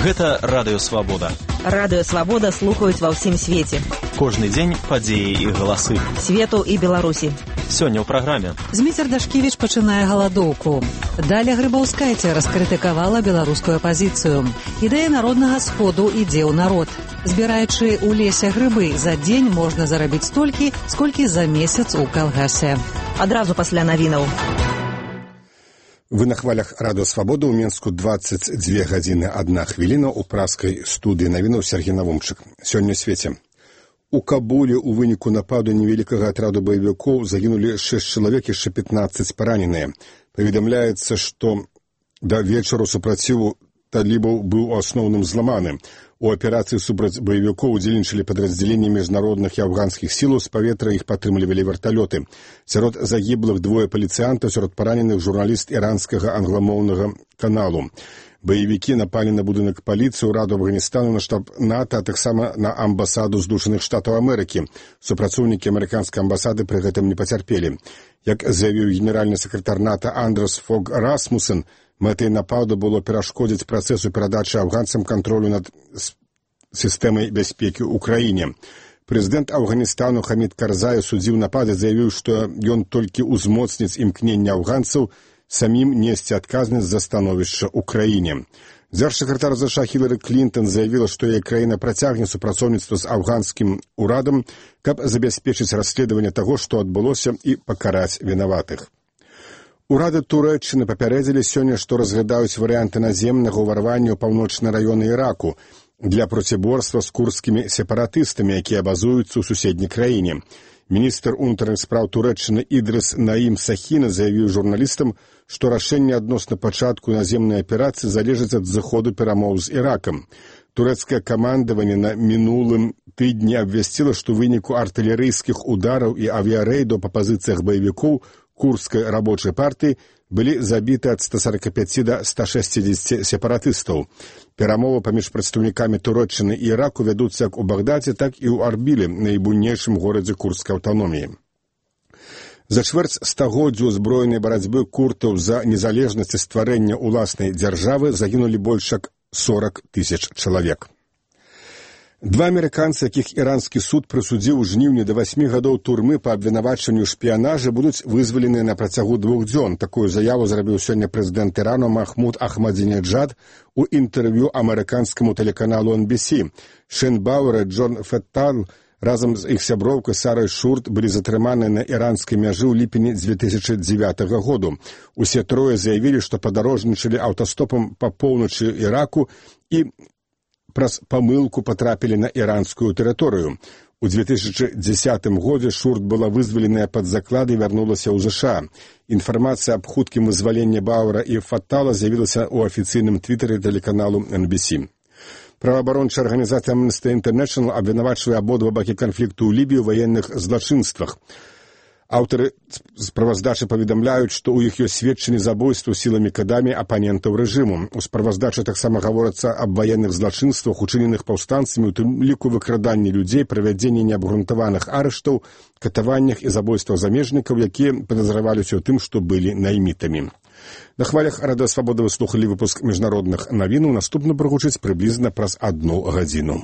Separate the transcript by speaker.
Speaker 1: Гэта Радыё Свабода.
Speaker 2: Радыё Свабода слухаюць ва ўсім свеце.
Speaker 1: Кожны дзень падзеі і галасы.
Speaker 2: Свету і Беларусі.
Speaker 1: Сёння ў праграме.
Speaker 3: Зміцер Дашкевіч пачынае галадоўку. Даля Грыбаўскайця раскрытыкавала беларускую апазіцыю. Ідэя народнага сходу ідзе ў народ. Збіраючы ў лесе грыбы, за дзень можна зарабіць столькі, сколькі за месяц у калгасе.
Speaker 2: Адразу пасля навінаў.
Speaker 4: Вы на хвалях Радыё Свабода. У Менску 22 гадзіны 1 хвіліна. У праскай студыі навінаў Сергей Навумчык. Сёння ў свеце. У Кабуле ў выніку нападу невялікага атраду баевікоў загінулі 6 чалавек, яшчэ 15 параненыя. Паведамляецца, што да вечару супраціву талібаў быў у асноўным зламаны. У аперацыі супраць баевікоў удзельнічалі падраздзяленні міжнародных і афганскіх сілаў, з паветра іх падтрымлівалі верталёты. Сярод загіблых 2 паліцыянтаў, сярод параненых журналіст іранскага англамоўнага каналу. Баевікі напалі на будынак паліцыі, ўраду Афганістану, на штаб НАТО, а таксама на амбасаду Здушаных Штатаў Амерыкі. Супрацоўнікі амерыканскай амбасады пры гэтым не пацярпелі. Як заявіў генеральны сакратар НАТО Андрес Фог Расмусен, мэтай нападу было перашкодзіць працэсу перадачы афганцам кантролю над сістэмай бяспекі ў краіне. Прэзідэнт Афганістану Хамід Карзай судзіў напады, заявіў, што ён толькі ўзмоцніць імкненне афганцаў самім несці адказнасць за становішча ў краіне. Дзяржсакратар США Хілары Клінтон заявіла, што яе краіна працягне супрацоўніцтва з афганскім урадам, каб забяспечыць расследаванне таго, што адбылося, і пакараць вінаватых. Урады Турэччыны папярэдзілі сёння, што разглядаюць варыянты наземнага ўварвання ў паўночныя раёны Іраку для проціборства з курдскімі сепаратыстамі, якія базуюцца ў суседняй краіне. Міністр унутраных спраў Турэччыны Ідрыс Наім Сахіна заявіў журналістам, што рашэнне адносна пачатку наземнай аперацыі залежыць ад зыходу перамоў з Іракам. Турэцкае камандаванне на мінулым тыдні абвясціла, што ў выніку артылерыйскіх удараў і авіярэйдаў па пазіцыях баевікоў курдскай рабочай партыі былі забіты ад 145 да 160 сепаратыстаў. Перамовы паміж прадстаўнікамі Турэччыны і Іраку вядуцца як у Багдадзе, так і ў Арбілі, найбуйнейшым горадзе курдскай аўтаноміі. За чвэрць стагоддзя узброенай барацьбы курдаў за незалежнасць і стварэння ўласнай дзяржавы загінулі больш як 40 000 чалавек. 2 амерыканцы, якіх іранскі суд прысудзіў у жніўні да 8 гадоў турмы па абвінавачанню шпіянажа, будуць вызваленыя на працягу 2 дзён. Такую заяву зрабіў сёння прэзідэнт Ірану Махмуд Ахмадзінеджад у інтэрв'ю амерыканскаму тэлеканалу NBC. Шэн Бауэр і Джон Феттал разам з іх сяброўкай Сарай Шурт былі затрыманыя на іранскай мяжы ў ліпені 2009 году. Усе трое заявілі, што падарожнічалі аўтастопам па поўначы Іраку і праз памылку патрапілі на іранскую тэрыторыю. У 2010 годзе Шурт была вызваленая пад заклад і вярнулася ў ЗША. Інфармацыя аб хуткім вызваленні Бауэра і Фаттала з'явілася ў афіцыйным твітары тэлеканалу NBC. Праваабарончая арганізацыя Amnesty International абвінавачвае абодва бакі канфлікту ў Лібіі ў ваенных злачынствах. Аўтары справаздачы паведамляюць, што ў іх ёсць сведчанні забойстваў сіламі кадамі апанентаў рэжыму. У справаздачы таксама гаворыцца аб ваенных злачынствах, учыненых паўстанцамі, у тым ліку выкраданні людзей, правядзенні неабгрунтаваных арыштаў, катаваннях і забойствах замежнікаў, якія падазраваліся ў тым, што былі наймітамі. На хвалях Радыё Свабода вы слухалі выпуск міжнародных навінаў. Наступны прагучыць прыблізна праз 1 гадзіну.